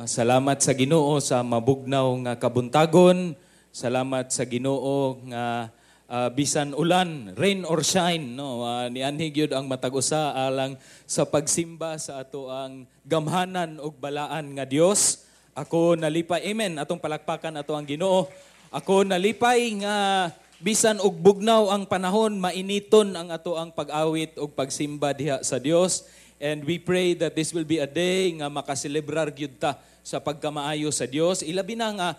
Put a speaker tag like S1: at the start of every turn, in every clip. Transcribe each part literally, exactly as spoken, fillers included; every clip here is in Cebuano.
S1: Salamat sa Ginoo sa mabugnaw nga kabuntagon. Salamat sa Ginoo nga uh, bisan ulan, rain or shine, no, uh, nianhi gyud ang matag usa alang sa pagsimba sa ato ang gamhanan ug balaan nga Dios. Ako nalipay, amen. Atong palakpakan ato ang Ginoo. Ako nalipay nga bisan og bugnaw ang panahon, mainiton ang ato ang pag-awit ug pagsimba diha sa Dios. And we pray that this will be a day nga makaselebrar gyud ta sa pagkamaayo sa Dios. Ilabi na nga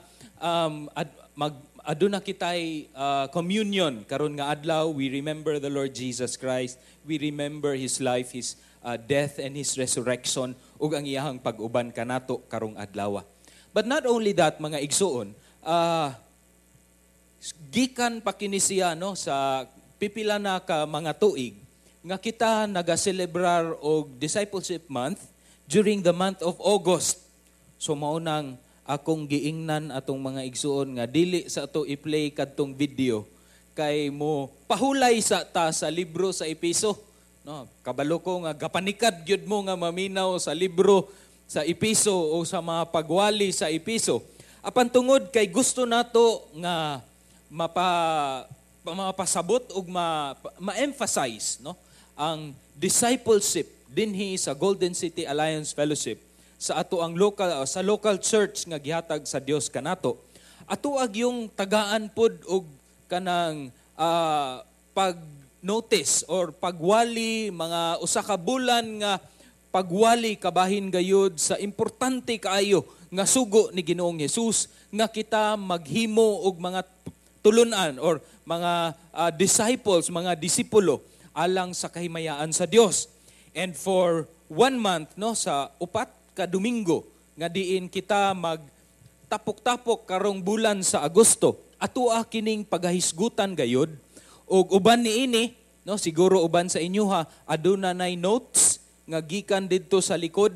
S1: um, ad, mag aduna kitay uh, communion karon nga adlaw. We remember the Lord Jesus Christ. We remember his life, his uh, death and his resurrection ug ang iyahang pag-uban kanato karong adlaw. But not only that, mga igsuon, uh, gikan pa kini siya, no, sa pipila na ka mga tuig nga kita nagaselebrar og Discipleship Month during the month of August. So mao nang akong giingnan atong mga igsuon nga dili sa ato i-play kadtong video kay mo pahulay sa ta sa libro sa Epeso. No, kabalo ko nga gapanikad gyud mo nga maminaw sa libro sa Epeso o sa mga pagwali sa Epeso. Apan tungod kay gusto nato nga mapa mapasabot ug ma, ma-emphasize, no, ang discipleship dinhi sa Golden City Alliance Fellowship, sa ato ang local sa local church nga gihatag sa Dios kanato, ato ag yung tagaan pod og kanang uh, pag notice or pagwali, mga usa ka bulan nga pagwali kabahin gayud sa importante kaayo nga sugo ni Ginoong Hesus nga kita maghimo og mga tulunan or mga uh, disciples, mga disipulo alang sa kahimayaan sa Dios. And for one month, no, sa upat ka Domingo nga diin kita mag tapok-tapok karong bulan sa Agosto, atoa kining pagahisgutan gayud. Ug uban niini, no, siguro uban sa inyo ha aduna nay notes nga gikan didto sa likod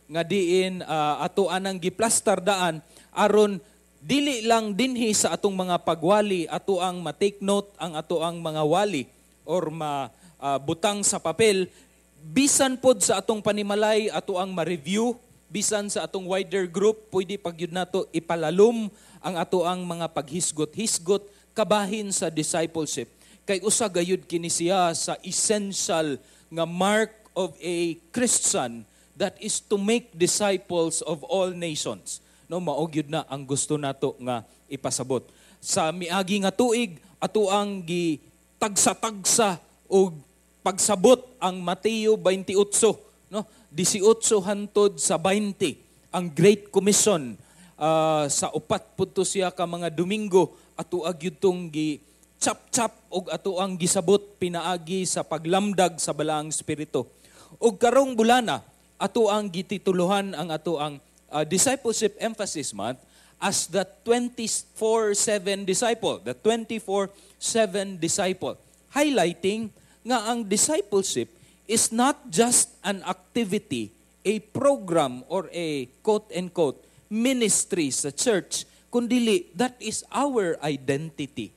S1: nga diin uh, ato anang giplastar daan aron dili lang dinhi sa atong mga pagwali ato ang ma-take note ang ato ang mga wali or ma uh, butang sa papel. Bisan pod sa atong panimalay ato ang ma-review, bisan sa atong wider group pwede pag yun nato ipalalom ang ato ang mga paghisgot-hisgot kabahin sa discipleship, kay usa gayud kini siya sa essential nga mark of a Christian, that is to make disciples of all nations, no? Mao gyud na ang gusto nato nga ipasabot. Sa miagi nga tuig, ato ang gi tagsa-tagsa og pagsabot ang Mateo twenty-eight, no, eighteen hantod sa twenty, ang Great Commission. uh, sa upat pud to siya ka mga Domingo, ato gyud tong gi chap-chap og ato ang gisabot pinaagi sa paglamdag sa Balaang Espiritu. Og karong bulana, ato ang gitituluhan ang ato ang uh, Discipleship Emphasis Month as the twenty-four seven disciple, the twenty-four seven disciple, highlighting nga ang discipleship is not just an activity, a program, or a quote-unquote ministry sa church, kundili that is our identity.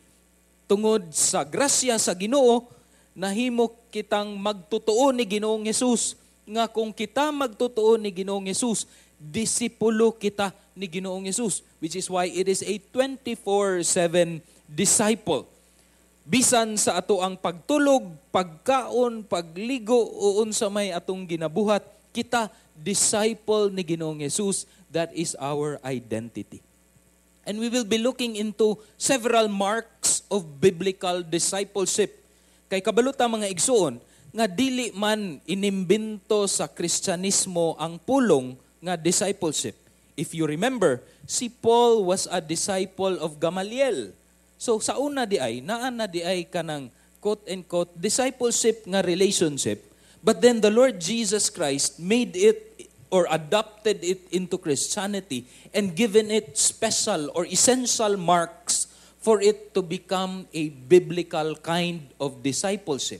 S1: Tungod sa grasya sa Ginoo, nahimo kitang magtotoo ni Ginoong Hesus, nga kung kita magtotoo ni Ginoong Hesus, disipulo kita ni Ginoong Hesus, which is why it is a twenty-four seven disciple. Bisan sa ato ang pagtulog, pagkaon, pagligo, o unsa may atong ginabuhat, kita disciple ni Ginoong Hesus. That is our identity. And we will be looking into several marks of biblical discipleship. Kay kabalo ta, mga igsuon, nga dili man inimbento sa Kristyanismo ang pulong nga discipleship. If you remember, si Paul was a disciple of Gamaliel. So sa una di ay, naa na di ay kanang quote-unquote discipleship nga relationship. But then the Lord Jesus Christ made it or adopted it into Christianity and given it special or essential marks for it to become a biblical kind of discipleship.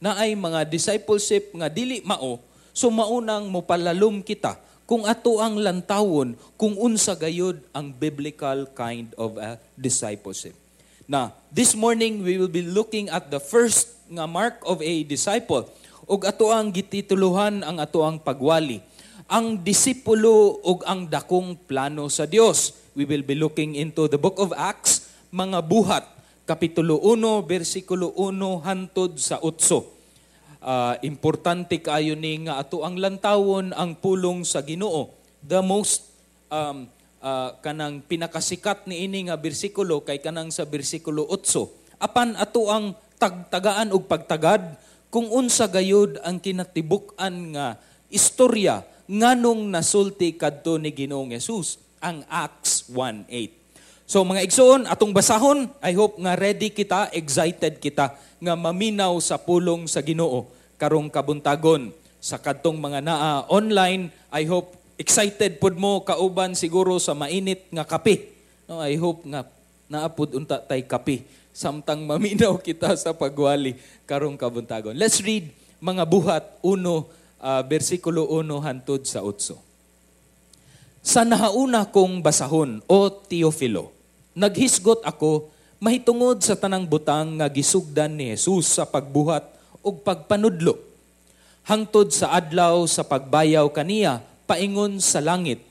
S1: Na ay mga discipleship nga dili mao, so maunang mopalalom kita kung ato ang lantawon kung unsa gayud ang biblical kind of a discipleship. Now, this morning we will be looking at the first nga mark of a disciple, ug ato ang gitituluhan ang ato ang pagwali. Ang disipulo ug ang dakong plano sa Dios. We will be looking into the book of Acts, mga buhat, Kapitulo uno, versikulo uno hantod sa otso. Uh, importante kaayo ni nga ato ang lantawon ang pulong sa Ginoo. The most um, uh, kanang pinakasikat ni ini nga bersikulo kay kanang sa bersikulo otso. Apan ato ang tagtagaan og pagtagad kung unsa gayud ang kinatibuk-an nga istorya nganong nasulti kadto ni Ginoong Hesus ang Acts one eight. So mga igsoon, atong basahon. I hope nga ready kita, excited kita nga maminaw sa pulong sa Ginoo karong kabuntagon. Sa kadtong mga naa online, I hope excited pud mo kauban siguro sa mainit nga kape. No, I hope nga naa pud unta tay kape samtang maminaw kita sa pagwali karong kabuntagon. Let's read mga buhat uno, uh, bersikulo uno hantod sa otso. Sa nahauna kong basahon, O Teofilo, naghisgot ako mahitungod sa tanang butang nga gisugdan ni Jesus sa pagbuhat ug pagpanudlo hangtod sa adlaw sa pagbayaw kaniya paingon sa langit.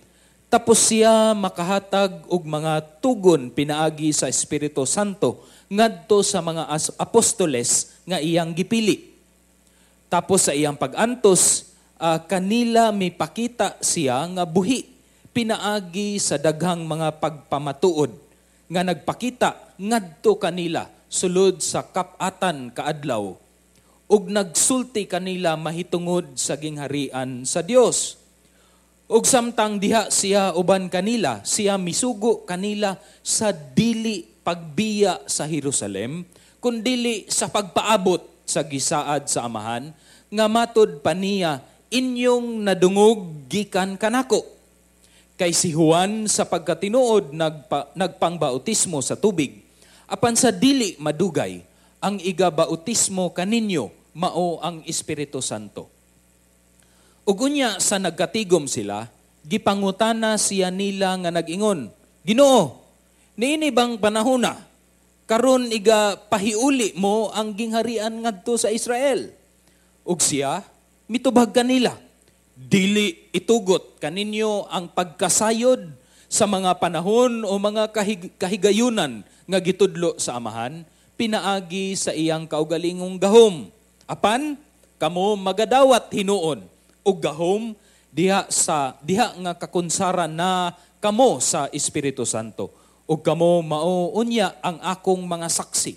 S1: Tapos siya makahatag og mga tugon pinaagi sa Espiritu Santo ngadto sa mga apostoles nga iyang gipili. Tapos sa iyang pag-antos, uh, kanila mipakita siya nga buhi pinaagi sa daghang mga pagpamatuod nga nagpakita ngadto kanila sulod sa kap-atan kaadlaw ug nagsulti kanila mahitungod sa gingharian sa Dios. Ug samtang diha siya uban kanila, siya misugo kanila sa dili pagbiya sa Jerusalem, kundili sa pagpaabot sa gisaad sa Amahan, nga matud pa niya inyong nadungog gikan kanako. Kay si Juan sa pagkatinuod nagpa, nagpangbautismo sa tubig, apan sa dili madugay, ang igabautismo kaninyo mao ang Espiritu Santo. Ug unya sa nagkatigom sila, gipangutana siya nila nga nag-ingon, "Ginoo, niini bang panahona karon iga pahiuli mo ang gingharian ngadto sa Israel?" Ug siya mitubag kanila, "Dili itugot kaninyo ang pagkasayod sa mga panahon o mga kahig- kahigayunan nga gitudlo sa Amahan pinaagi sa iyang kaugalingong gahom. Apan kamo magadawat hinuon og gahom diha sa diha nga kakunsaran na kamo sa Espiritu Santo, ug kamo mao unya ang akong mga saksi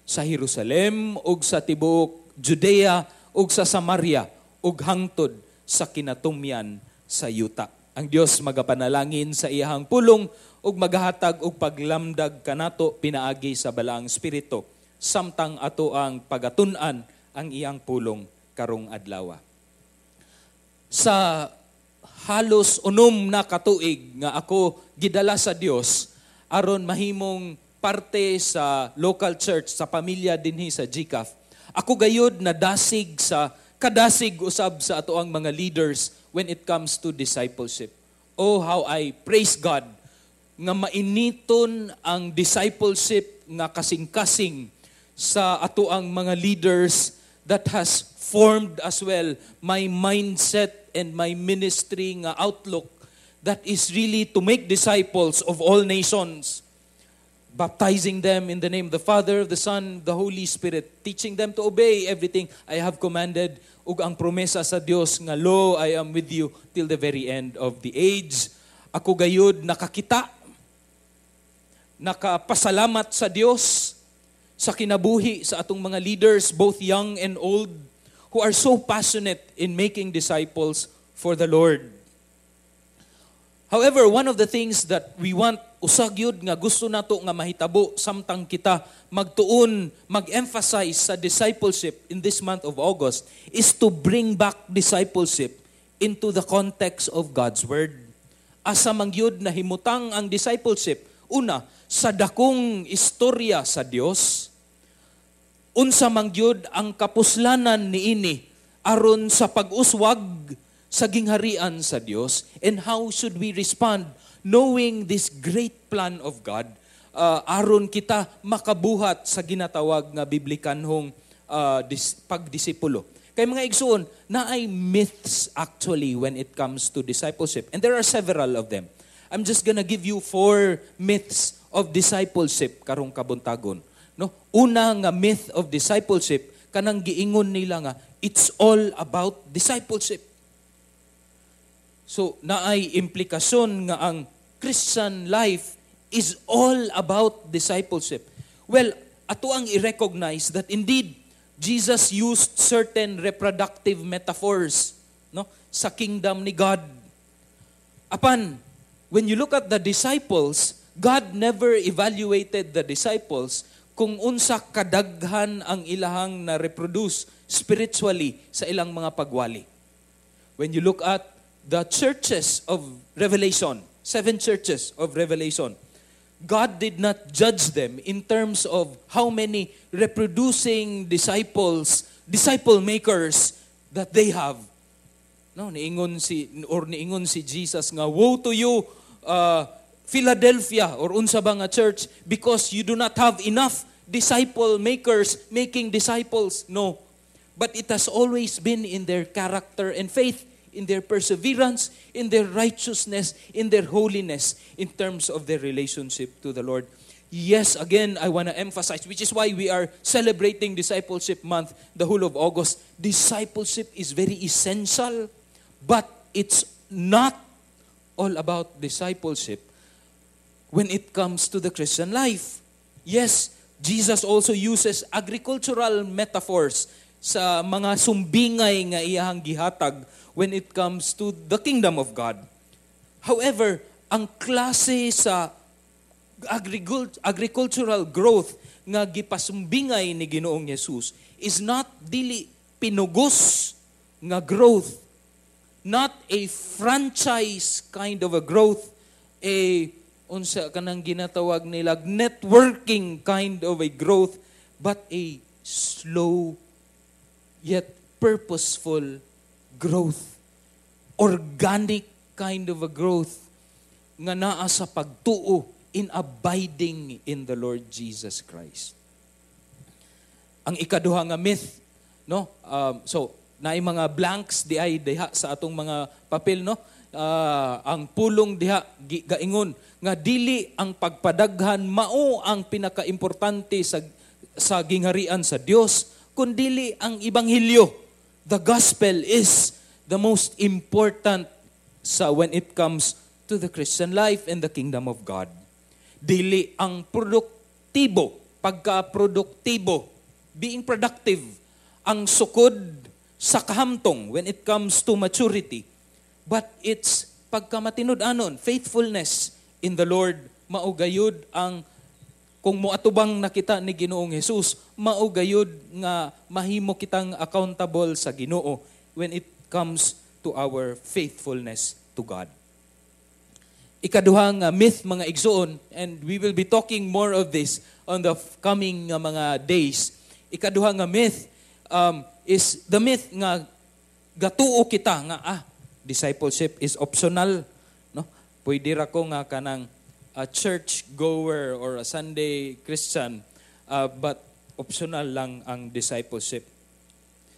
S1: sa Jerusalem ug sa tibuok Judea ug sa Samaria ug hangtod sa kinatumyan sa yuta." Ang Dios magapanalangin sa iyahang pulong ug magahatag og paglamdag kanato pinaagi sa Balaang Espiritu samtang ato ang pagatun-an ang iyang pulong karong adlaw. Sa halos unom na katuig nga ako gidala sa Dios aron mahimong parte sa local church, sa pamilya dinhi sa G C A F. Ako gayud nadasig sa kadasig usab sa ato ang mga leaders when it comes to discipleship. Oh, how I praise God nga mainiton ang discipleship nga kasing-kasing sa ato ang mga leaders that has formed as well my mindset and my ministry nga outlook that is really to make disciples of all nations, baptizing them in the name of the Father, the Son, the Holy Spirit, teaching them to obey everything I have commanded, ug ang promesa sa Dios nga, "Lo, I am with you till the very end of the age." Ako gayud nakakita, nakapasalamat sa Dios sa kinabuhi sa atong mga leaders, both young and old, who are so passionate in making disciples for the Lord. However, one of the things that we want, usag yun nga gusto nato nga mahitabo samtang kita magtuon, mag-emphasize sa discipleship in this month of August is to bring back discipleship into the context of God's Word. Asa man gyud nahimutang ang discipleship? Una, sa dakong istorya sa Dios, unsa man gyud ang kapuslanan niini aron sa pag-uswag sa gingharian sa Dios, and how should we respond knowing this great plan of God uh, aron kita makabuhat sa ginatawag nga biblikanhong uh, dis- pagdisipulo. Kay mga igsuon, naay myths actually when it comes to discipleship. And there are several of them. I'm just gonna give you four myths of discipleship karong kabuntagon. No? Una nga myth of discipleship kanang giingon nila nga it's all about discipleship. So naay implikasyon nga ang Christian life is all about discipleship. Well, ato ang i-recognize that indeed Jesus used certain reproductive metaphors no sa kingdom ni God. Apan, when you look at the disciples, God never evaluated the disciples kung unsa kadaghan ang ilahang na-reproduce spiritually sa ilang mga pagwali. When you look at the churches of Revelation, seven churches of Revelation, God did not judge them in terms of how many reproducing disciples, disciple makers that they have. No, niingon si or niingon si Jesus nga woe to you uh, Philadelphia or unsa ba nga church because you do not have enough disciple makers making disciples. No. But it has always been in their character and faith, in their perseverance, in their righteousness, in their holiness, in terms of their relationship to the Lord. Yes, again, I want to emphasize, which is why we are celebrating Discipleship Month the whole of August. Discipleship is very essential, but it's not all about discipleship when it comes to the Christian life. Yes, Jesus also uses agricultural metaphors sa mga sumbingay nga iyahang gihatag when it comes to the kingdom of God. However, ang klase sa agricultural growth nga gipasumbingay ni Ginoong Hesus is not dili pinugos nga growth, not a franchise kind of a growth, a unsa kanang ginatawag nila networking kind of a growth, but a slow yet purposeful growth. Organic kind of a growth nga naa sa pagtuo in abiding in the Lord Jesus Christ. Ang ikaduha nga myth, no? Um, so, naay mga blanks di ay diha sa atong mga papel, no? Uh, ang pulong diha gaingon nga dili ang pagpadaghan mao ang pinakaimportante sa sa gingharian sa Dios kundili ang ebanghelyo. The gospel is the most important sa when it comes to the Christian life and the kingdom of God. Dili ang produktibo, pagka-produktibo, being productive, ang sukod sa kahamtong when it comes to maturity. But it's pagkamatinud-anon, faithfulness in the Lord, mao gayud ang kung moatubang nakita ni Ginoong Hesus, mao gayud nga mahimo kitang accountable sa Ginoo when it comes to our faithfulness to God. Ikaduhang uh, myth mga igsoon, and we will be talking more of this on the coming uh, mga days. Ikaduhang nga myth um, is the myth nga gatuo kita nga ah discipleship is optional, no? Pwede ra ko nga kanang a church goer or a Sunday Christian, uh, but optional lang ang discipleship.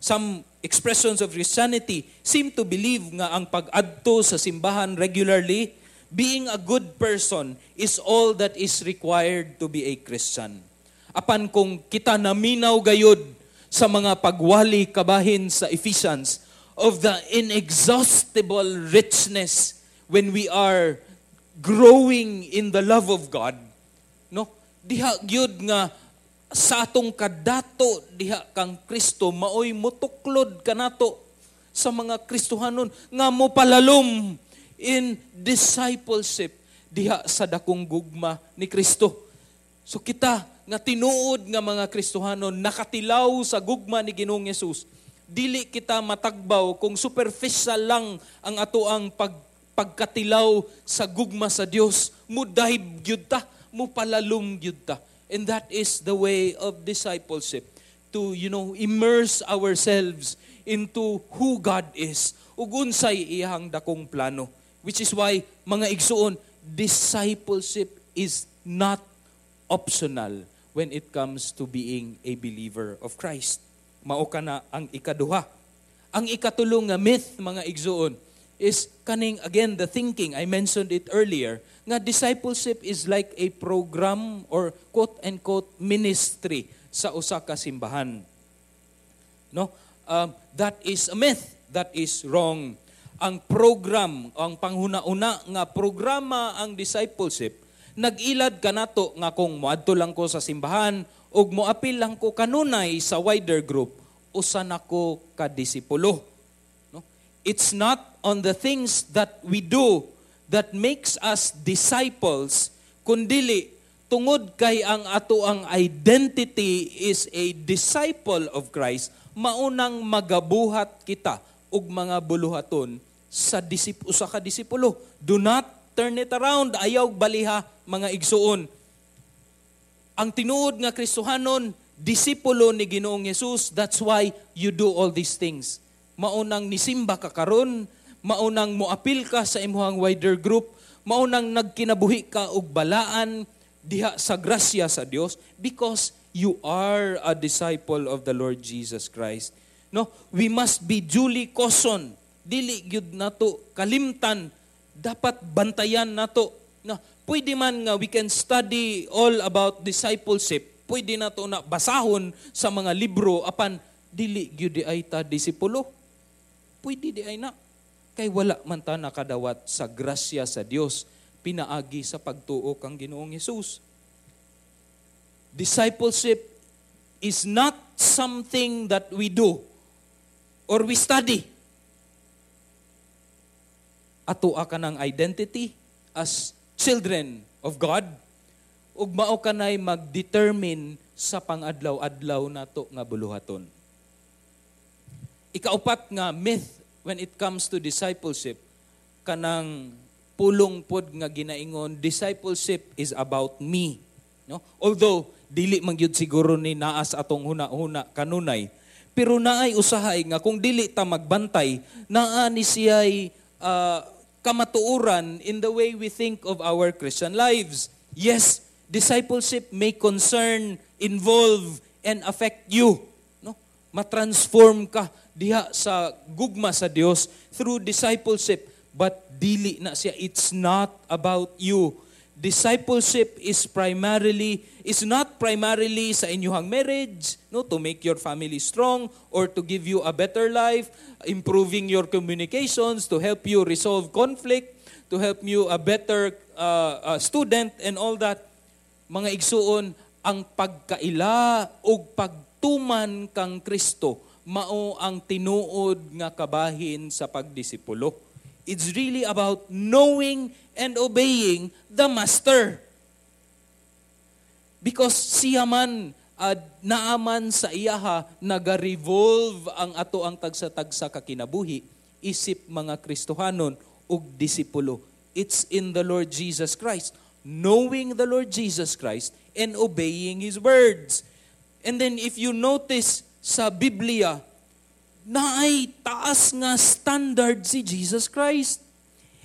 S1: Some expressions of Christianity seem to believe nga ang pag-adto sa simbahan regularly, being a good person is all that is required to be a Christian. Apan kung kita naminaw gayud sa mga pagwali kabahin sa Ephesians of the inexhaustible richness when we are growing in the love of God, no? Diha gyud nga sa atong kadato diha kang Kristo maoy motuklod kanato sa mga Kristohanon nga mo palalom in discipleship diha sa dakong gugma ni Kristo. So kita nga tinuod nga mga Kristohanon nakatilaw sa gugma ni Ginoong Hesus, dili kita matagbaw kung superficial lang ang atoang pag pagkatilaw sa gugma sa Dios, mo dive gyud ta, mo palalom gyud ta. And that is the way of discipleship, to you know immerse ourselves into who God is ug unsay iyang dakong plano. Which is why mga igsuon, discipleship is not optional when it comes to being a believer of Christ. Mao kana ang ikaduha. Ang ikatulo nga myth, mga igsuon, is kaning, again, the thinking, I mentioned it earlier, nga discipleship is like a program or quote-unquote ministry sa usa ka simbahan. No? Um, that is a myth. That is wrong. Ang program, ang panghuna-una nga programa ang discipleship, nag-ilad kanato nga kung moadto lang ko sa simbahan ug moapil lang ko kanunay sa wider group, usa na ko ka disipulo. No? It's not on the things that we do that makes us disciples, kundili tungod kay ang ato ang identity is a disciple of Christ, maunang magabuhat kita og mga buluhaton sa disip usa ka disipulo. Do not turn it around. Ayaw baliha, mga igsuon. Ang tinuod nga Kristohanon, disipulo ni Ginoong Hesus. That's why you do all these things. Maunang nisimba ka karon, maunang moapil ka sa imuhang wider group, maunang nagkinabuhi ka og balaan diha sa grasya sa Dios because you are a disciple of the Lord Jesus Christ. No, we must be duly cautioned. Dili gyud nato kalimtan, dapat bantayan nato. Na pwede man nga we can study all about discipleship. Pwede nato na basahon sa mga libro apan dili gyud diay ta disipulo. Pwede diay na. Kay wala man ta nakadawat sa grasya sa Dios pinaagi sa pagtuo kang Ginoong Hesus. Discipleship is not something that we do or we study. Ato ka ng identity as children of God ug mao kanay mag-determine sa pangadlaw-adlaw nato nga buluhaton. Ikaupat nga myth when it comes to discipleship, kanang pulong pod nga ginaingon, discipleship is about me. No? Although dili man gyud siguro ni naa sa atong huna-huna kanunay, pero naay usahay nga kung dili ta magbantay, naa ni siya'y uh, kamatuoran in the way we think of our Christian lives. Yes, discipleship may concern, involve, and affect you. No? Ma-transform ka diha sa gugma sa Dios through discipleship. But dili na siya. It's not about you. Discipleship is primarily is not primarily sa inyong marriage, no, to make your family strong or to give you a better life, improving your communications, to help you resolve conflict, to help you a better uh, uh, student and all that. Mga igsuon, ang pagkaila og pagtuman kang Kristo mao ang tinuod nga kabahin sa pagdisipulo. It's really about knowing and obeying the Master. Because siya man, uh, naaman sa iyaha, naga-revolve ang ato ang tagsa-tagsa kakinabuhi, isip mga Kristohanon ug disipulo. It's in the Lord Jesus Christ. Knowing the Lord Jesus Christ and obeying His words. And then if you notice sa Biblia, naay taas nga standard si Jesus Christ.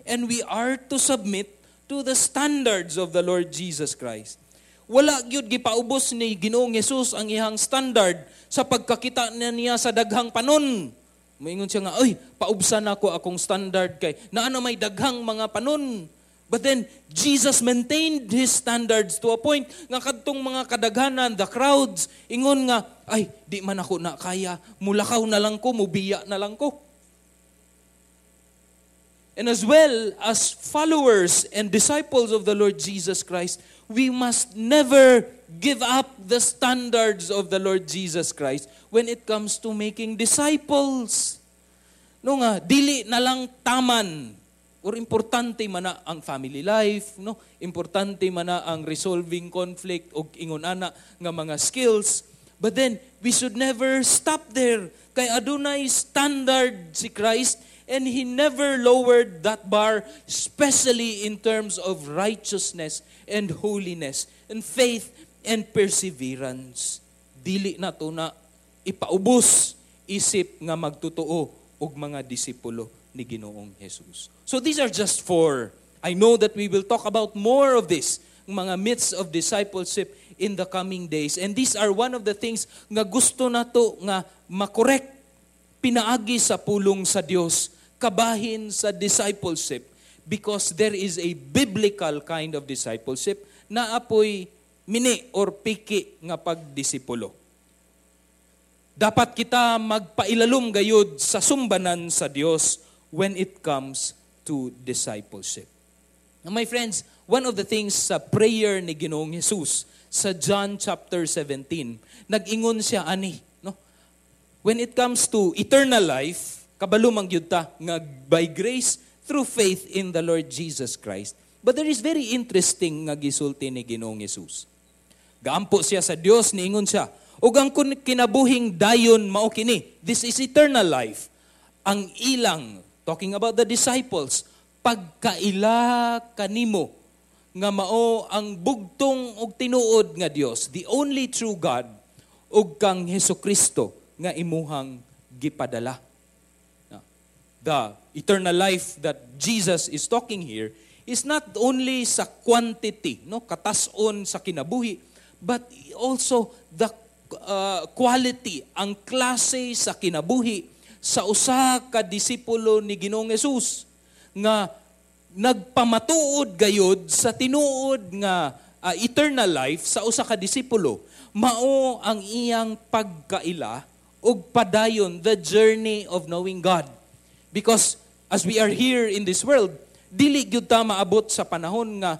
S1: And we are to submit to the standards of the Lord Jesus Christ. Wala gyud gipaubos ni Ginoong Hesus ang iyang standard sa pagkakita na niya sa daghang panon. Moingon siya nga, "Ay, paubsan nako akong standard kay naa na may daghang mga panon." But then Jesus maintained his standards to a point nga kadtong mga kadaghanan, the crowds, ingon nga, "Ay, di man ako na kaya, mulakaw na lang ko, mubiya na lang ko." And as well as followers and disciples of the Lord Jesus Christ, we must never give up the standards of the Lord Jesus Christ when it comes to making disciples. No nga, dili na lang taman or importante man na ang family life, no? Importante man na ang resolving conflict og ingon ana nga mga skills. But then we should never stop there. Kay adunay standard si Christ and He never lowered that bar, especially in terms of righteousness and holiness and faith and perseverance. Dili na to na ipaubos isip nga magtotoo og mga disipulo ni Ginoong Jesus. So these are just four. I know that we will talk about more of this, mga myths of discipleship in the coming days. And these are one of the things nga gusto nato nga makorek. pinaagi sa pulong sa Dios kabahin sa discipleship because there is a biblical kind of discipleship na apoy mini or piki nga pagdisipulo. Dapat kita magpailalom gayud sa sumbanan sa Dios when it comes to discipleship. Now, my friends, one of the things sa prayer ni Ginoong Jesus sa John chapter seventeen, nag-ingon siya ani, no? When it comes to eternal life, kabalo man gyud ta nga by grace through faith in the Lord Jesus Christ. But there is very interesting nga gisulti ni Ginoong Jesus. Gaampo siya sa Dios, niingon siya, ug ang kinabuhing dayon mao kini, this is eternal life. Ang ilang, talking about the disciples, pagkaila kanimo nga mao ang bugtong og tinuod nga Dios, the only true God, ug kang Hesukristo nga imuhang gipadala. The eternal life that Jesus is talking here is not only sa quantity, no, katason sa kinabuhi, but also the uh, quality, ang klase sa kinabuhi sa usa ka disipulo ni Ginoong Hesus nga nagpamatuod gayod sa tinuod nga uh, eternal life sa usa ka disipulo. Mao ang iyang pagkaila ug padayon the journey of knowing God. Because as we are here in this world, dili gyud ta maabot sa panahon nga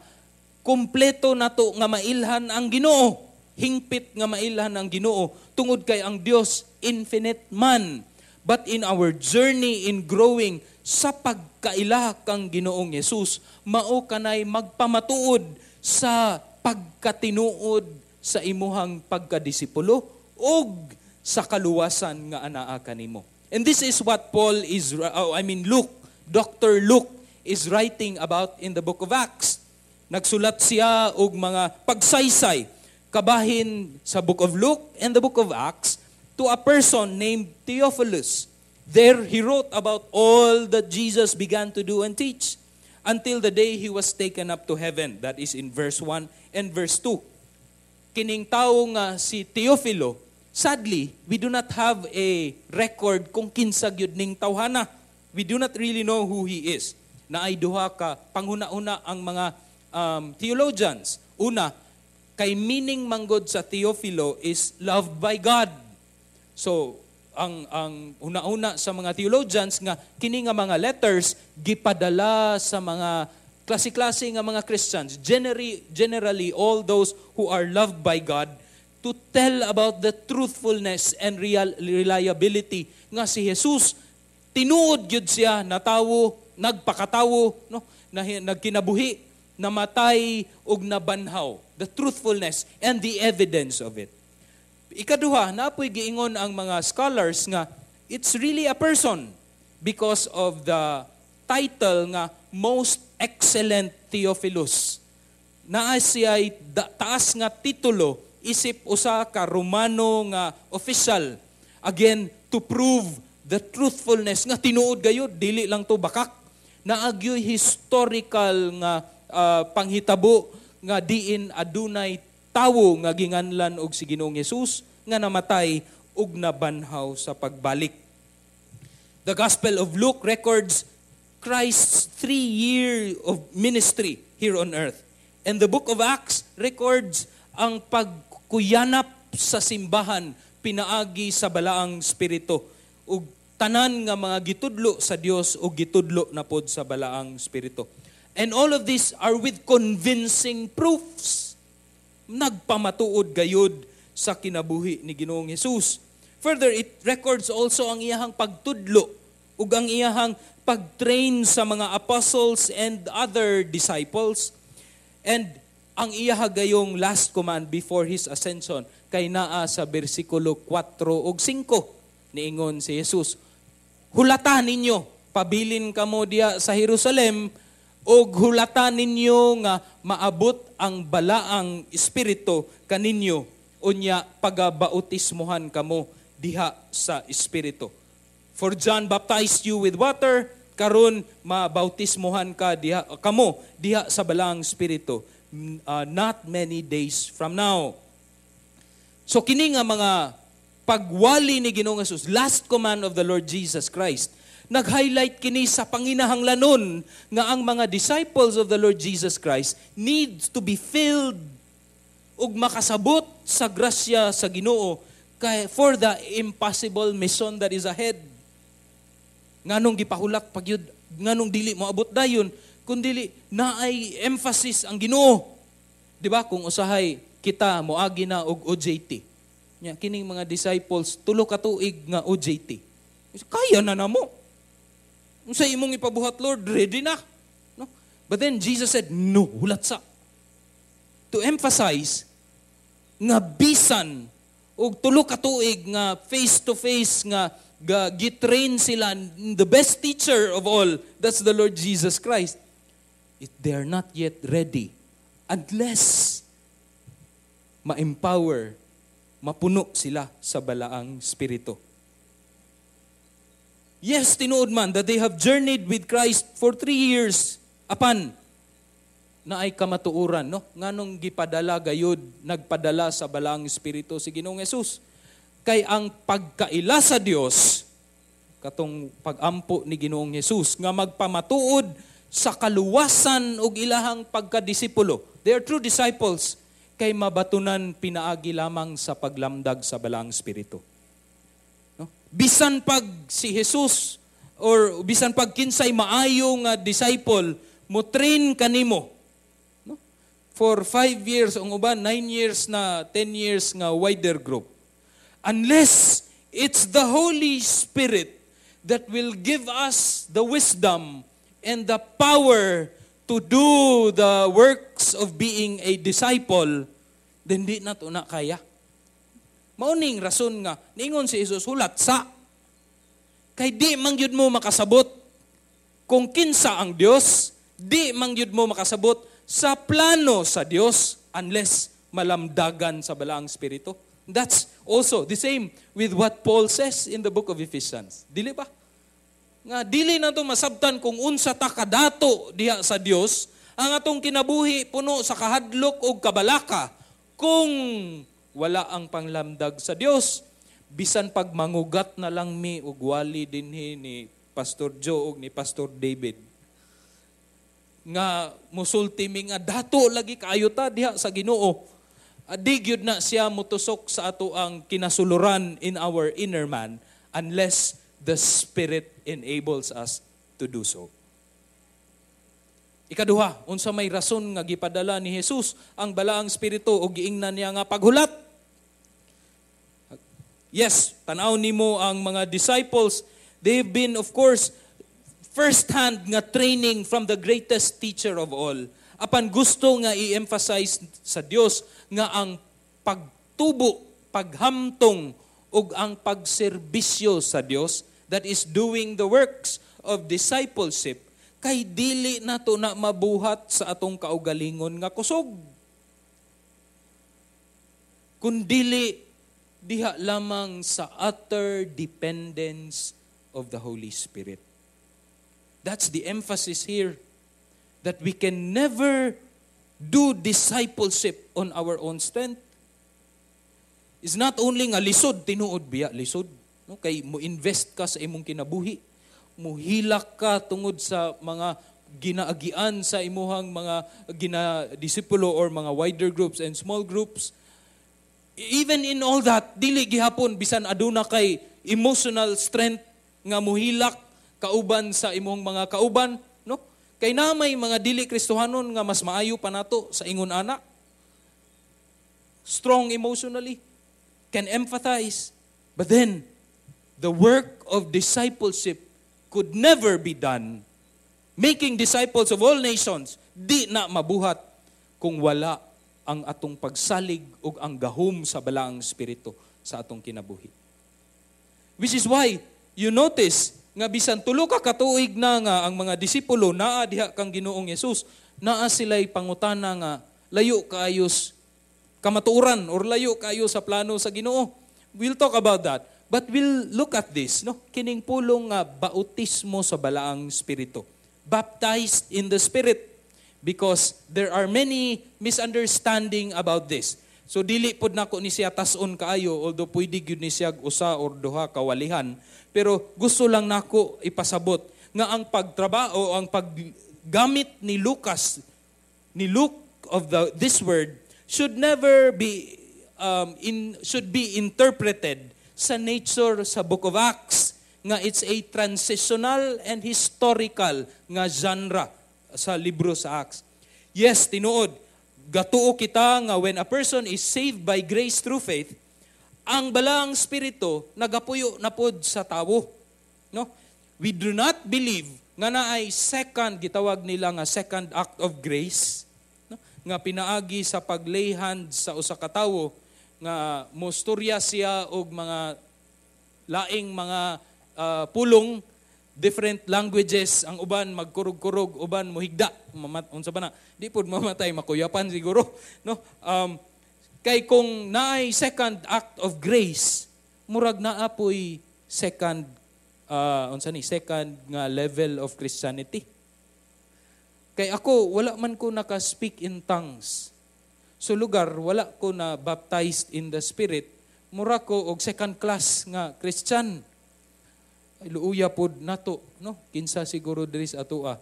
S1: kumpleto nato nga mailhan ang Ginoo. Hingpit nga mailhan ang Ginoo tungod kay ang Dios infinite man. But in our journey in growing sa pagkaila kang Ginoong Hesus, mao kanay magpamatuod sa pagkatinuod sa imuhang pagkadisipulo ug sa kaluwasan nga anaa kanimo. And this is what Paul is, oh, I mean Luke, Doctor Luke is writing about in the book of Acts. Nagsulat siya og mga pagsaysay kabahin sa book of Luke and the book of Acts to a person named Theophilus. There he wrote about all that Jesus began to do and teach until the day he was taken up to heaven. That is in verse one and verse two. Kining tawo nga si Teofilo, sadly, we do not have a record kung kinsa gyud ning tawhana. We do not really know who he is. Naay duha ka panghuna-una ang mga um, theologians. Una, kay meaning manggod sa Teofilo is loved by God. So, ang ang una-una sa mga theologians nga kini nga mga letters gipadala sa mga klase-klase nga mga Christians, generally, generally all those who are loved by God, to tell about the truthfulness and real reliability nga si Jesus tinuod gyud siya natawo, nagpakatawo, no, na, nagkinabuhi, namatay ug nabanhaw. The truthfulness and the evidence of it. Ikaduha, napoy giingon ang mga scholars nga it's really a person because of the title nga Most Excellent Theophilus. Naa siya'y taas nga titulo isip usa ka Romano nga official. Again, to prove the truthfulness nga tinuod gayud, dili lang to bakak. Naagyoy historical nga uh, panghitabo nga diin adunay tawo nga ginganlan og si Ginoong Hesus nga namatay ug nabanhaw sa pagbalik. The Gospel of Luke records Christ's three year of ministry here on earth. And the book of Acts records ang pagkuyanap sa simbahan pinaagi sa balaang spirito ug tanan nga mga gitudlo sa Dios ug gitudlo na pod sa balaang spirito. And all of these are with convincing proofs. Nagpamatuod gayud sa kinabuhi ni Ginoong Hesus. Further, it records also ang iyahang pagtudlo ug ang iyahang pag-train sa mga apostles and other disciples. And ang iyaha gayong last command before his ascension kay naa sa bersikulo four ug five. Niingon si Jesus, hulata ninyo, pabilin kamo diya sa Jerusalem, og hulata ninyo nga maabot ang balaang espiritu kaninyo, unya pagabautismuhan kamo diha sa espiritu. For John baptized you with water, karon mabautismuhan ka diha kamo diha sa balaang espiritu, uh, not many days from now. So kini nga mga pagwali ni Ginoong Jesus, last command of the Lord Jesus Christ, nag-highlight kini sa panginahanglanon nga ang mga disciples of the Lord Jesus Christ needs to be filled ug makasabot sa grasya sa Ginoo kay for the impossible mission that is ahead. Nganong gipahulat pagyud, nganong dili moabot dayon, kun dili naay emphasis ang Ginoo. Di ba? Kung usahay kita moagi na og O J T. Nya kining mga disciples, tulo ka tuig nga O J T. Kaya na namo. Unsa imong ipabuhat, Lord, ready na. No? But then Jesus said, "No, hulat sa." To emphasize nga bisan og tulo ka tuig nga face to face nga ga, gitrain sila, the best teacher of all, that's the Lord Jesus Christ. It, they are not yet ready unless ma-empower, mapuno sila sa Balaang Espiritu. Yes, tinuod man that they have journeyed with Christ for three years apan naay kamatuoran, no? Nganong gipadala gayud, nagpadala sa Balaang Espiritu si Ginoong Jesus? Kay ang pagkaila sa Dios, katong pagampo ni Ginoong Jesus nga magpamatuod sa kaluwasan ug ilahang pagkadisipulo. They are true disciples kay mabatunan pinaagi lamang sa paglamdag sa Balaang Espiritu. No? Bisan pag si Jesus or bisan pag kinsay maayo nga disciple mo train kanimo, no? For five years, ang uban nine years na, ten years nga wider group. Unless it's the Holy Spirit that will give us the wisdom and the power to do the works of being a disciple, then di na to na kaya. Mauning rason nga ningon si Jesus, "Hulat sa." Kay di man gyud mo makasabot kung kinsa ang Dios, di man gyud mo makasabot sa plano sa Dios unless malamdagan sa Balaang Espiritu. That's also the same with what Paul says in the book of Ephesians. Dili ba? Nga dili na to masabtan kung unsa ta kadato diha sa Dios, ang atong kinabuhi puno sa kahadlok ug kabalaka kung wala ang panglamdag sa Dios. Bisan pag mangugat na lang mi og wali dinhi ni Pastor Joe ug ni Pastor David nga musulti mi nga dato lagi kaayo ta diha sa Ginoo, di gyud na siya mutusok sa ato ang kinasuluran in our inner man unless the Spirit enables us to do so. Ikaduha, unsa may rason nga gipadala ni Jesus ang Balaang Espiritu o giingnan niya nga paghulat? Yes, tanaw nimo ang mga disciples, they've been, of course, first-hand nga training from the greatest teacher of all. Apan gusto nga i-emphasize sa Dios nga ang pagtubo, paghamtong ug ang pagserbisyo sa Dios, that is doing the works of discipleship, kay dili nato na mabuhat sa atong kaugalingon nga kusog kun dili diha lamang sa utter dependence of the Holy Spirit. That's the emphasis here, that we can never do discipleship on our own strength. Is not only nga lisod, tinuod biya lisod, no? Kay mo invest ka sa imong kinabuhi, muhilak ka tungod sa mga ginaagian sa imuhang mga ginadisipulo or mga wider groups and small groups. Even in all that, dili gihapon, bisan aduna kay emotional strength nga muhilak kauban sa imong mga kauban, no? Kay na may mga dili Kristohanon nga mas maayo pa nato sa ingon ana. Strong emotionally, can empathize. But then, the work of discipleship could never be done. Making disciples of all nations, di na mabuhat kung wala ang atong pagsalig ug ang gahom sa Balaang Espiritu sa atong kinabuhi. Which is why, you notice, nga bisan tulo ka katuig na nga ang mga disipulo naa diha kang Ginoong Hesus, naa sila'y pangutana nga layo kaayo kamatuoran or layo kaayo sa plano sa Ginoo. We'll talk about that. But we'll look at this, no? Kining pulong nga bautismo sa Balaang Espiritu. Baptized in the Spirit, because there are many misunderstanding about this. So dili pod nako ni siya tas-on kaayo, although pwede gyud ni siya usa or duha ka walihan, pero gusto lang nako ipasabot nga ang pagtrabaho, ang paggamit ni Lucas ni Luke of the this word should never be um, in should be interpreted sa nature sa Book of Acts nga it's a transitional and historical nga genre sa libro sa Acts. Yes, tinuod, gatuo kita nga when a person is saved by grace through faith, ang Balaang Espiritu nagapuyo na pod sa tawo. No? We do not believe nga naay second, gitawag nila nga second act of grace, no? Nga pinaagi sa pag-lay hands sa usa ka tawo nga mostorya siya og mga laing mga uh, pulong, different languages, ang uban magkurog-kurog, uban mohigda, mamat unsa ba na, di pud mamatay, makuyapan siguro, no? Um, kay kung naay second act of grace, murag naa poy second uh, unsa ni, second nga level of Christianity. Kay ako, wala man ko naka-speak in tongues. So lugar wala ko na baptized in the Spirit, mura ko og second class nga Christian. Ay, luuya pod nato, no? Kinsa siguro diri sa atoa.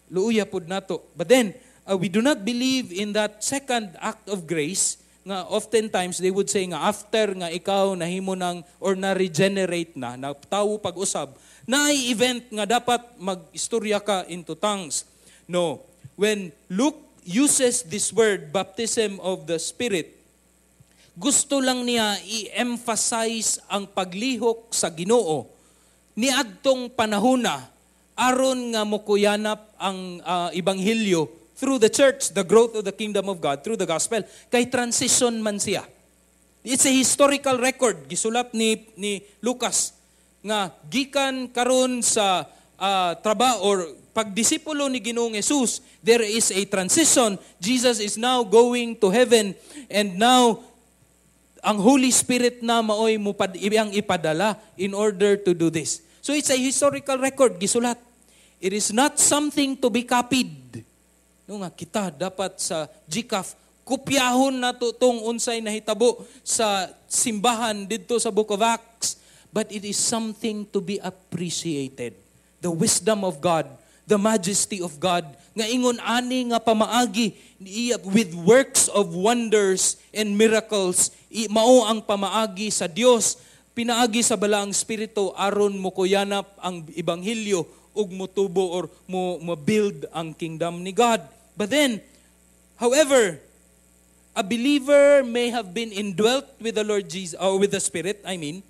S1: Luuya pod nato. But then, uh, we do not believe in that second act of grace nga oftentimes they would say nga after nga ikaw nahimo ng or na-regenerate na, na tawo pag-usab, na ay event nga dapat mag-istorya ka into tongues. No. When Luke uses this word, baptism of the Spirit, gusto lang niya i-emphasize ang paglihok sa Ginoo niadtong panahona aron nga mokuyanap ang uh, ebanghelyo through the church, the growth of the kingdom of God through the gospel. Kay transition man siya. It's a historical record gisulat ni ni Lucas nga gikan karon sa uh, trabaho or pagdisipulo ni Ginoong Jesus, there is a transition. Jesus is now going to heaven and now ang Holy Spirit na maoy mupad iyang ipadala in order to do this. So it's a historical record gisulat. It is not something to be copied. No nga kita dapat sa G C A F kopyahon nato tong unsay nahitabo sa simbahan didto sa Book of Acts, but it is something to be appreciated. The wisdom of God, the majesty of God nga ingon ani nga pamaagi with works of wonders and miracles, mao ang pamaagi sa Dios pinaagi sa Balaang Espiritu aron mokuyanap ang ebanghelyo ug motubo or mo, mo build ang kingdom ni God. But then, however, a believer may have been indwelt with the Lord Jesus or with the Spirit, I mean,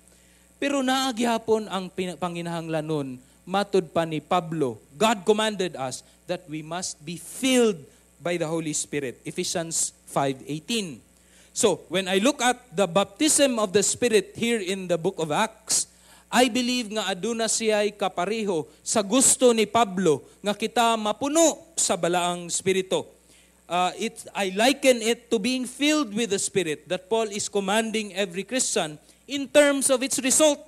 S1: pero naa gihapon ang panginahanglanon matud pa ni Pablo. God commanded us that we must be filled by the Holy Spirit. Ephesians five eighteen. So, when I look at the baptism of the Spirit here in the Book of Acts, I believe nga aduna siya'y kapareho sa gusto ni Pablo nga kita mapuno sa Balaang Espiritu. Uh, it, I liken it to being filled with the Spirit that Paul is commanding every Christian in terms of its result.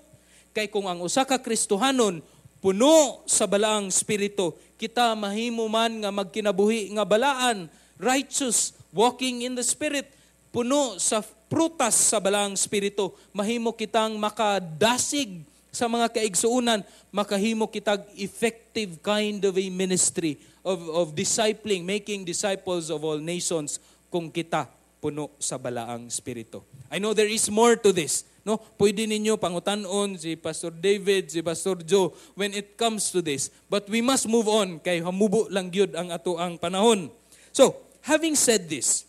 S1: Kay kung ang usa ka Kristohanon puno sa Balaang Espiritu, kita mahimo man nga magkinabuhi nga balaan, righteous, walking in the Spirit, puno sa prutas sa Balaang Espiritu, mahimo kitang makadasig sa mga kaigsuunan, makahimo kitag effective kind of a ministry of, of discipling, making disciples of all nations kung kita puno sa Balaang Espiritu. I know there is more to this. No? Pwede ninyo pangutanon si Pastor David, si Pastor Joe when it comes to this. But we must move on kay hamubo lang gyud ang ato ang panahon. So, having said this,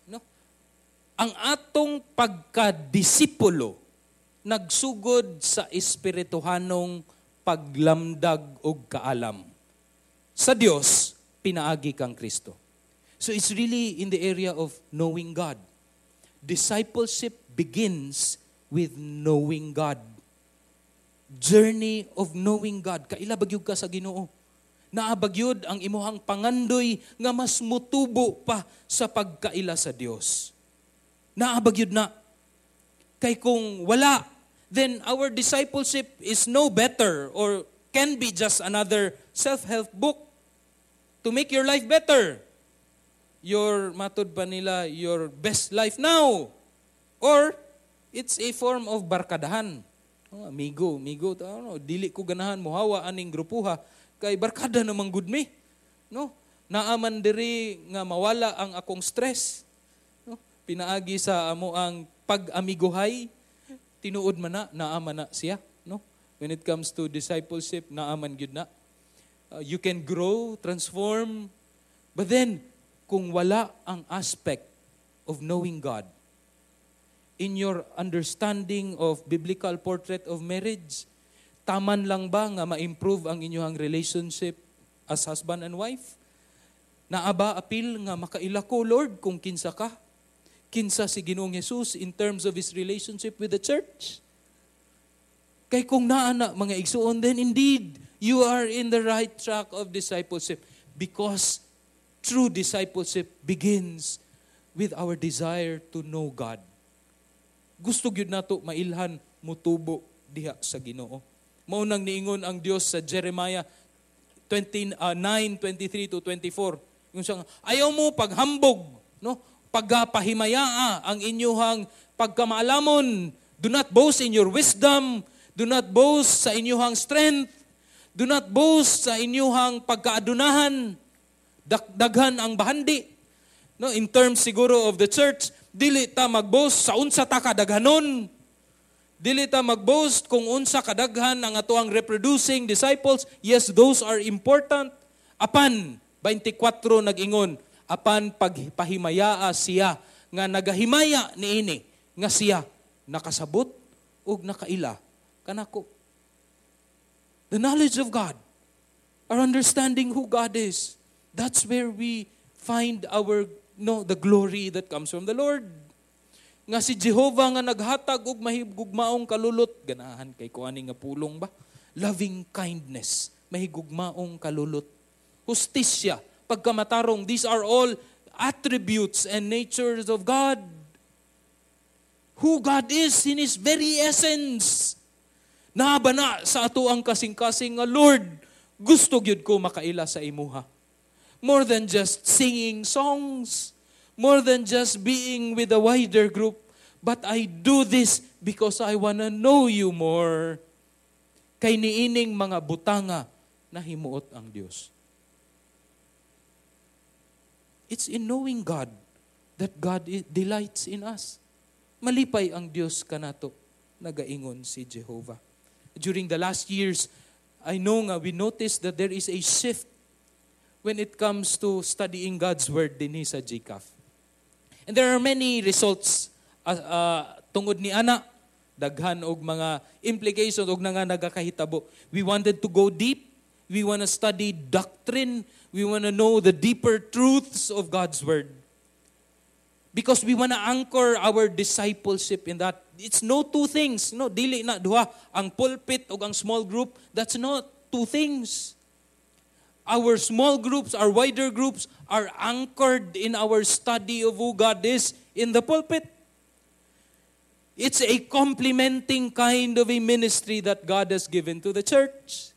S1: no? Ang atong pagkadisipulo nagsugod sa espirituhanong paglamdag og kaalam sa Dios pinaagi kang Kristo. So it's really in the area of knowing God. Discipleship begins with knowing God. Journey of knowing God. Kaila ba gyud ka sa Ginoo? Naa ba gyud ang imuhang pangandoy nga mas mutubo pa sa pagkaila sa Dios? Naa ba gyud na? Kay kung wala, then our discipleship is no better or can be just another self-help book to make your life better. your matud pa nila your best life now. Or it's a form of barkadahan. Oh, amigo, amigo, ano, dili ko ganahan mohawa aning grupuha kay barkada naman gud mi. No? Naa man diri nga mawala ang akong stress. No? Pinaagi sa amo ang pag-amigohay, tinuod man na, naa man na siya, no? When it comes to discipleship, naa man gyud na. Uh, you can grow, transform, but then kung wala ang aspect of knowing God in your understanding of biblical portrait of marriage, taman lang ba nga ma-improve ang inyong relationship as husband and wife? Naa ba apil nga makaila ko, Lord, kung kinsa ka? Kinsa si Ginoong Jesus in terms of His relationship with the church? Kay kung naa na mga igsuon, then indeed, you are in the right track of discipleship because true discipleship begins with our desire to know God. Gusto gyud nato mailhan mutubo diha sa Ginoo. Mao nang niingon ang Dios sa Jeremiah twenty-nine, twenty-three to twenty-four. Yung siya, ayaw mo paghambog, no? Pagpahimayaa ang inyuhang pagkamaalamon. Do not boast in your wisdom. Do not boast sa inyuhang strength. Do not boast sa inyuhang pagkaadunahan. Daghan ang bahandi. No, in terms siguro of the church, dili ta mag-boast sa unsa ta kadaghanon. Dili ta mag-boast kung unsa kadaghan ang atoang reproducing disciples. Yes, those are important. Apan twenty-four nag-ingon, apan pagpahimayaa siya nga nagahimaya niini nga siya nakasabot ug nakaila kanako. The knowledge of God, our understanding who God is, that's where we find our no the glory that comes from the Lord. Nga si Jehovah nga naghatag og mahigugmaong kalulot, ganahan kay ko ani nga pulong ba? Loving kindness, mahigugmaong kalulot. Hustisya, pagkamatarong, these are all attributes and natures of God. Who God is in His very essence. Naa ba na sa ato ang kasing-kasing nga Lord, gusto gyud ko makaila sa imuha. More than just singing songs, more than just being with a wider group, but I do this because I wanna know you more. Kay niining mga butanga nahimuot ang Dios. It's in knowing God that God delights in us. Malipay ang Dios kanato, nagaingon si Jehovah. During the last years, I know nga we noticed that there is a shift when it comes to studying God's Word dinhi sa G C A F. And there are many results uh, uh, tungod ni ana, daghan og mga implications og nga nagakahitabo. We wanted to go deep. We want to study doctrine. We want to know the deeper truths of God's Word. Because we want to anchor our discipleship in that. It's no two things. No, dili na duha. Ang pulpit o ang small group, that's not two things. Our small groups, our wider groups are anchored in our study of who God is in the pulpit. It's a complementing kind of a ministry that God has given to the church.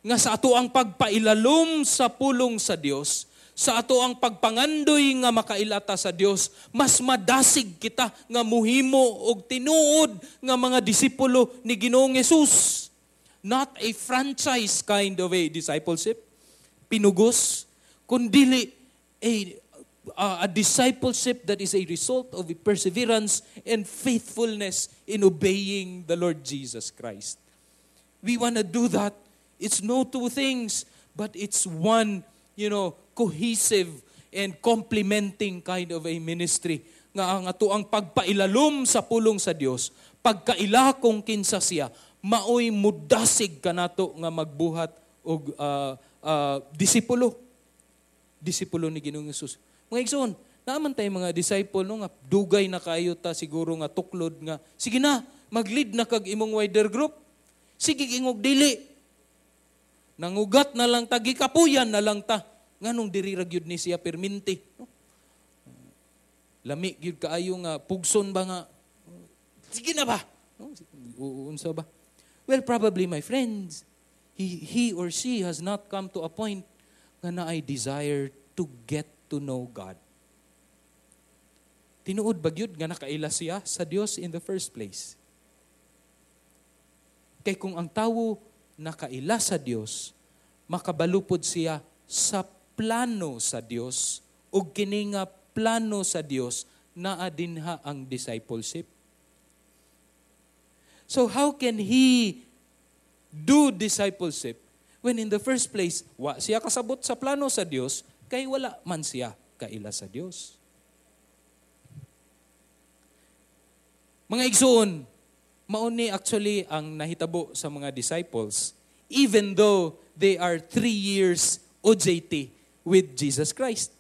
S1: Nga sa ato ang pagpailalom sa pulong sa Dios, sa ato ang pagpangandoy nga makaila ta sa Dios, mas madasig kita nga muhimo og tinuod nga mga disipulo ni Ginoong Hesus. Not a franchise kind of a discipleship, pinugos, kundili a, uh, a discipleship that is a result of a perseverance and faithfulness in obeying the Lord Jesus Christ. We want to do that. It's no two things, but it's one, you know, cohesive and complementing kind of a ministry nga ang ato ang pagpailalom sa pulong sa Dios, pagkaila kung kinsa siya, maoy mudasig kanato nga magbuhat og uh, uh, disipulo. Disipulo ni Ginoong Hesus. Mga igsoon, naa man tay mga disciple no nga dugay na kayo ta siguro nga tuklod nga sige na, mag-lead na kag imong wider group. Sige ingog dili. Nangugat na lang ta, gikapuyan na lang ta. Nganong diri ra gyud ni siya perminti? No? Lami gyud kaayo nga pugson ba nga sige na ba? No? Unsa ba? Well, probably my friends, he, he or she has not come to a point nga naay desire to get to know God? Tinuod ba gyud nga nakaila siya sa Dios in the first place? Kay kung ang tawo nakaila sa Dios, makabalupod siya sa plano sa Dios ug kini nga plano sa Dios naa dinha ang discipleship. So how can he do discipleship when in the first place wa siya kasabot sa plano sa Dios kay wala man siya kaila sa Dios? Mga igsoon, mao ni actually ang nahitabo sa mga disciples even though they are three years O J T with Jesus Christ.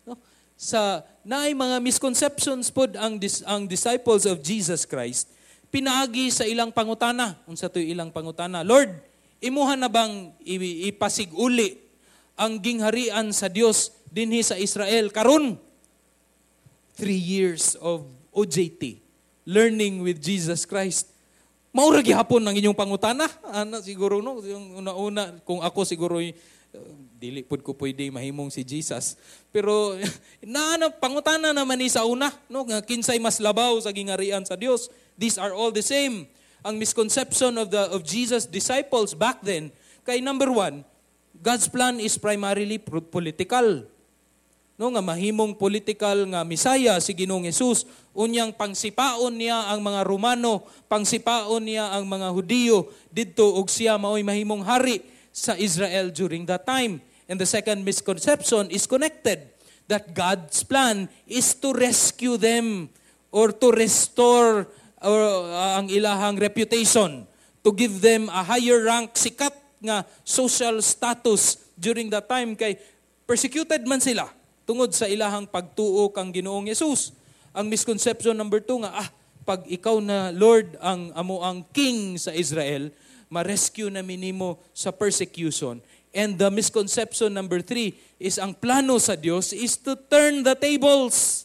S1: No? Sa naay mga misconceptions pod ang dis, ang disciples of Jesus Christ pinaagi sa ilang pangutana. Unsa to'y ilang pangutana? Lord, imuha na bang ipasig-uli ang gingharian sa Dios dinhi sa Israel karon? Three years of O J T, learning with Jesus Christ. Maura gihapon ang inyong pangutana. Ana siguro no, yung una-una kung ako siguro uh, dili pud ko pwede mahimong si Jesus. Pero naana pangutana naman ni sa una, no, nga kinsay mas labaw sa gingharian sa Dios. These are all the same. Ang misconception of the of Jesus' disciples back then, kay number one, God's plan is primarily political. No, nga mahimong political nga Mesaya si Ginoong Hesus, unyang pangsipaon niya ang mga Romano, pangsipaon niya ang mga Hudiyo didto og siya maoy mahimong hari sa Israel during that time. And the second misconception is connected that God's plan is to rescue them or to restore or, uh, ang ilahang reputation, to give them a higher rank, sikat nga social status during that time kay persecuted man sila tungod sa ilahang pagtuo kang Ginoong Hesus. Ang misconception number two nga, ah, pag ikaw na Lord ang amo ang king sa Israel, ma-rescue na minimo sa persecution. And the misconception number three is ang plano sa Dios is to turn the tables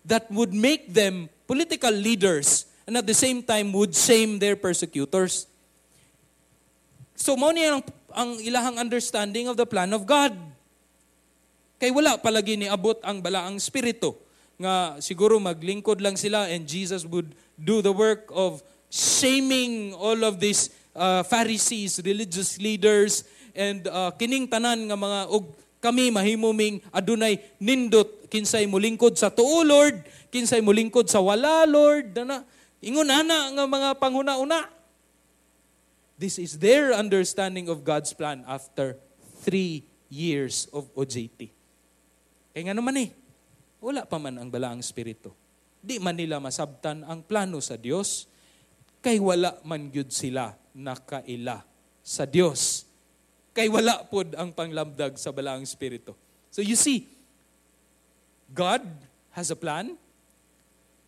S1: that would make them political leaders and at the same time would shame their persecutors. So mao ni ang, ang ilahang understanding of the plan of God. Kay wala palagi niabot ang balaang spirito nga siguro maglingkod lang sila and Jesus would do the work of shaming all of these uh, Pharisees, religious leaders, and uh, kining tanan nga mga og kami mahimuming adunay nindot kinsay molingkod sa tuo Lord, kinsay molingkod sa wala Lord, dana ingon ana nga mga panghuna-una. This is their understanding of God's plan after three years of O J T. Kaya nga naman eh, wala pa man ang balaang spirito. Di man nila masabtan ang plano sa Dios, kay wala man gyud sila nakaila sa Dios. Kay wala pod ang panglamdag sa balaang spirito. So you see, God has a plan.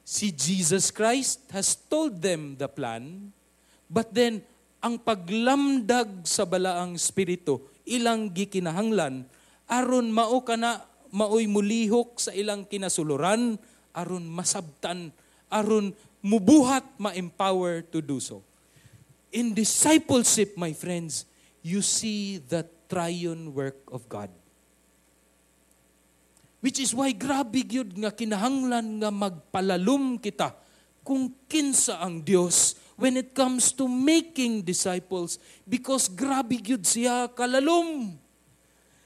S1: Si Jesus Christ has told them the plan. But then, ang paglamdag sa balaang spirito, ilang gikinahanglan, aron mao kana maoy mulihok sa ilang kinasuluran, aron masabtan, aron mubuhat, ma-empower to do so. In discipleship, my friends, you see the triune work of God. Which is why grabe gyud nga kinahanglan nga magpalalom kita kung kinsa ang Dios when it comes to making disciples, because grabe gyud siya kalalom.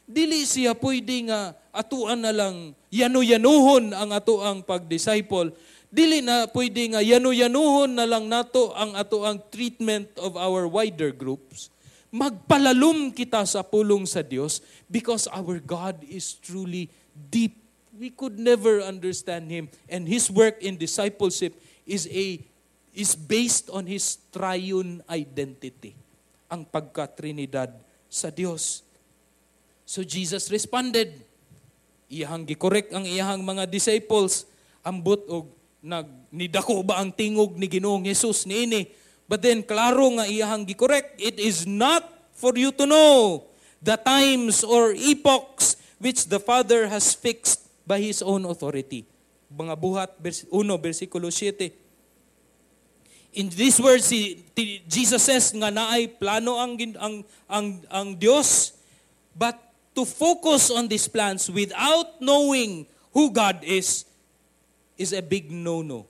S1: Dili siya pwede nga atuan na lang yanu-yanuhon ang atuang pag-disciple. Dili na pwede nga yanu-yanuhon na lang nato ang atuang treatment of our wider groups. Magpalalom kita sa pulong sa Dios because our God is truly deep. We could never understand Him. And His work in discipleship is a is based on His triune identity, ang pagka-Trinidad sa Dios. So Jesus responded. Iyahang gikorek ang iyahang mga disciples. Ambot og nag nidako ba ang tingog ni Ginoong Hesus niini? But then klaro nga iyahang gikorek, it is not for you to know the times or epochs which the Father has fixed by His own authority. Mga Buhat one, versikulo seven. In these words, si, Jesus says nga naay plano ang, ang, ang, ang Dios, but to focus on these plans without knowing who God is is a big no-no.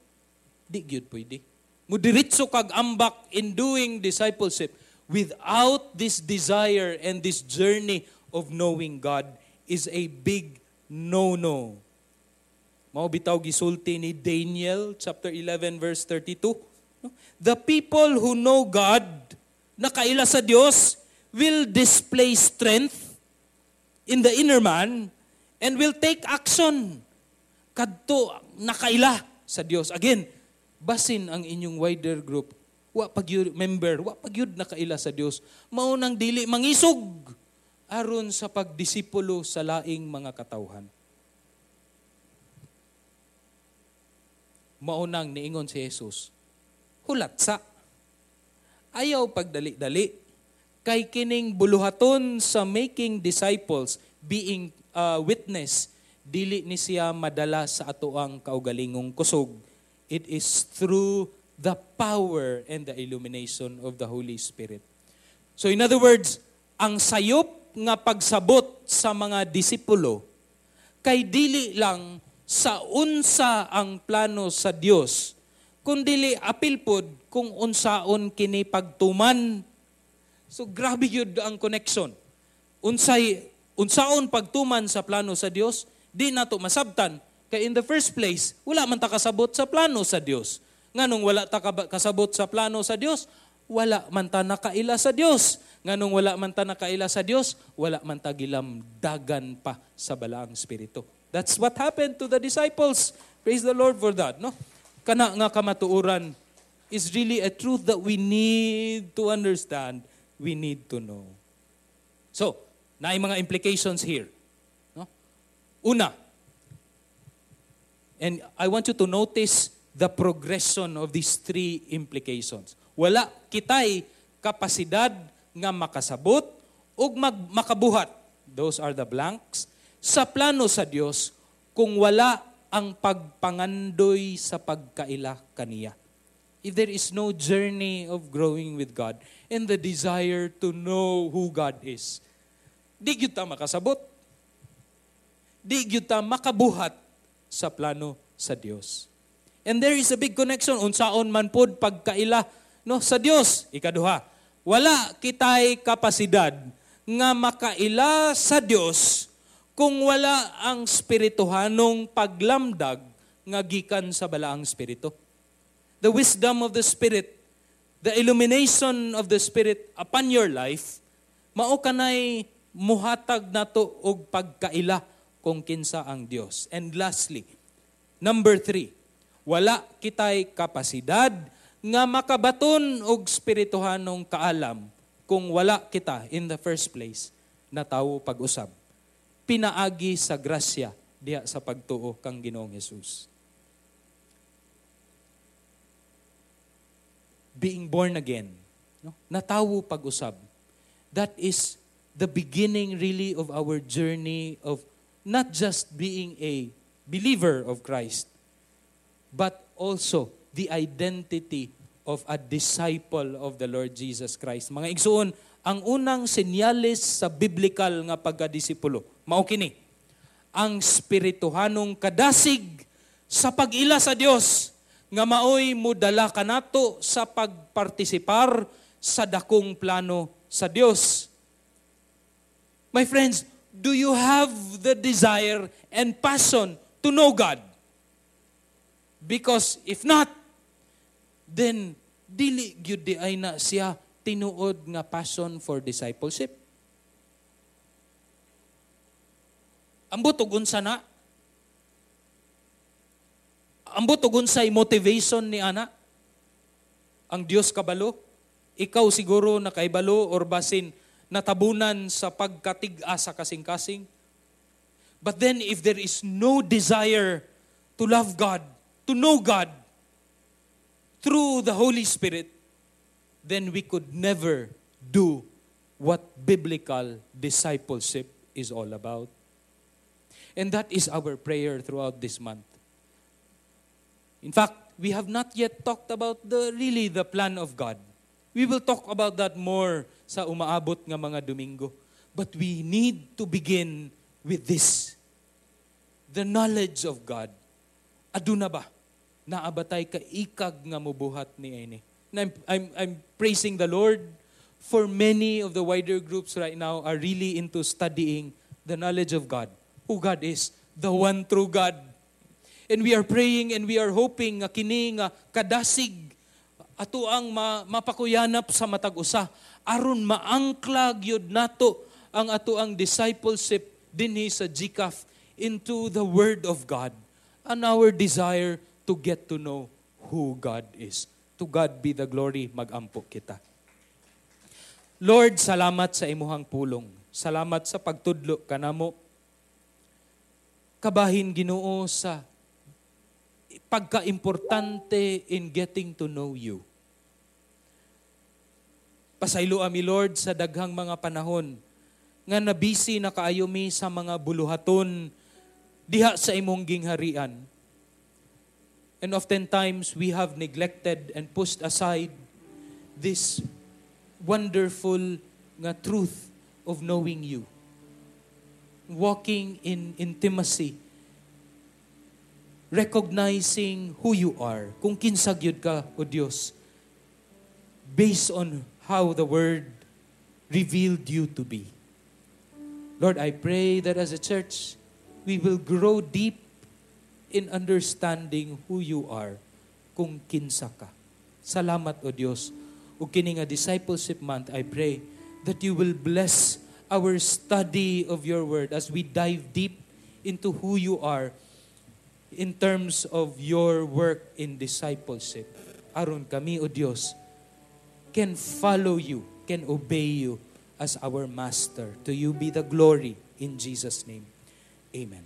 S1: Di gyud pwede. Mudiritso kag ambak in doing discipleship without this desire and this journey of knowing God is a big no-no. Mao bitaw gisulti ni Daniel chapter eleven verse thirty-two. The people who know God, nakaila sa Dios, will display strength in the inner man and will take action. Kadto nakaila sa Dios. Again, basin ang inyong wider group, wa pag member, wa pag yun nakaila sa Dios. Mao nang dili mangisog aron sa pagdisipulo sa laing mga katawhan. Mao nang niingon si Jesus, hulat sa ayaw pagdali-dali kay kining buluhaton sa making disciples, being uh, witness, dili ni siya madala sa atoang kaugalingong kusog. It is through the power and the illumination of the Holy Spirit. So in other words, ang sayop nga pagsabot sa mga disipulo kay dili lang sa unsa ang plano sa Dios, kundili apil pod kung unsaon kini pagtuman. So grabe yun ang connection. Unsay unsaon pagtuman sa plano sa Dios, di nato masabtan kay in the first place wala man ta kasabot sa plano sa Dios. Nganong wala ta kasabot sa plano sa Dios, wala man ta nakaila sa Dios. Nganong wala man ta nakaila sa Dios, wala man ta gilamdagan pa sa Balaang Espiritu. That's what happened to the disciples. Praise the Lord for that, no? Kana nga kamatuoran is really a truth that we need to understand, we need to know. So, naay mga implications here, no? Una, and I want you to notice the progression of these three implications. Wala kitay kapasidad nga makasabot ug mag makabuhat. Those are the blanks. Sa plano sa Dios kung wala ang pagpangandoy sa pagkaila kaniya. If there is no journey of growing with God and the desire to know who God is, di gyud ta makasabot. Di gyud ta makabuhat sa plano sa Dios. And there is a big connection unsaon man pod pagkaila, no, sa Dios. Ikaduha, wala kitay kapasidad nga makaila sa Dios kung wala ang spirituhanong paglamdag nga gikan sa Balaang Espiritu. The wisdom of the Spirit, the illumination of the Spirit upon your life, mao kanay muhatag nato og pagkaila kung kinsa ang Dios. And lastly, number three, wala kitay kapasidad nga makabaton og spirituhanong kaalam kung wala kita in the first place natawo pag-usab. Pinaagi sa grasya diha sa pagtuo kang Ginoong Hesus. Being born again, no? Natawo pag-usab. That is the beginning really of our journey of not just being a believer of Christ, but also the identity of a disciple of the Lord Jesus Christ. Mga igsuon, ang unang senyales sa biblical nga pagkadisipulo, mao kini, ang spirituhanong kadasig sa pag-ila sa Dios nga maoy mudala kanato sa pagpartisipar sa dakong plano sa Dios. My friends, do you have the desire and passion to know God? Because if not, then dili gyud di ay na siya tinuod nga passion for discipleship. Ambot og unsa na? Ambot og unsay motivation ni ana? Ang Dios kabalo? Ikaw siguro nakaibalo or basin natabunan sa pagkatig-a sa kasing-kasing. But then if there is no desire to love God, to know God through the Holy Spirit, then we could never do what biblical discipleship is all about. And that is our prayer throughout this month. In fact, we have not yet talked about the really the plan of God. We will talk about that more sa umaabot nga mga Domingo. But we need to begin with this. The knowledge of God. Aduna ba? Naa ba tay kaikag nga mubuhat niini. And I'm, I'm, I'm praising the Lord for many of the wider groups right now are really into studying the knowledge of God. Who God is, the one true God. And we are praying and we are hoping nga kini nga kadasig ato ang ma, mapakuyanap sa matag usa aron maangkla gyud nato ang ato ang discipleship dinhi sa G C A F into the Word of God and our desire to get to know who God is. To God be the glory, magampo kita. Lord, salamat sa imuhang pulong. Salamat sa pagtudlo kanamo. Kabahin, Ginoo, sa pagkaimportante in getting to know you. Pasayloa mi, Lord, sa daghang mga panahon nga nabisi na kaayo mi sa mga buluhaton diha sa imong gingharian. And oftentimes we have neglected and pushed aside this wonderful nga truth of knowing you. Walking in intimacy, recognizing who you are, kung kinsa gyud ka, O Dios, based on how the Word revealed you to be. Lord, I pray that as a church, we will grow deep in understanding who you are, kung kinsa ka. Salamat, O Dios. Ug kini nga Discipleship Month, I pray that you will bless our study of your word as we dive deep into who you are in terms of your work in discipleship. Aron kami, O Dios, can follow you, can obey you as our master. To you be the glory in Jesus' name. Amen.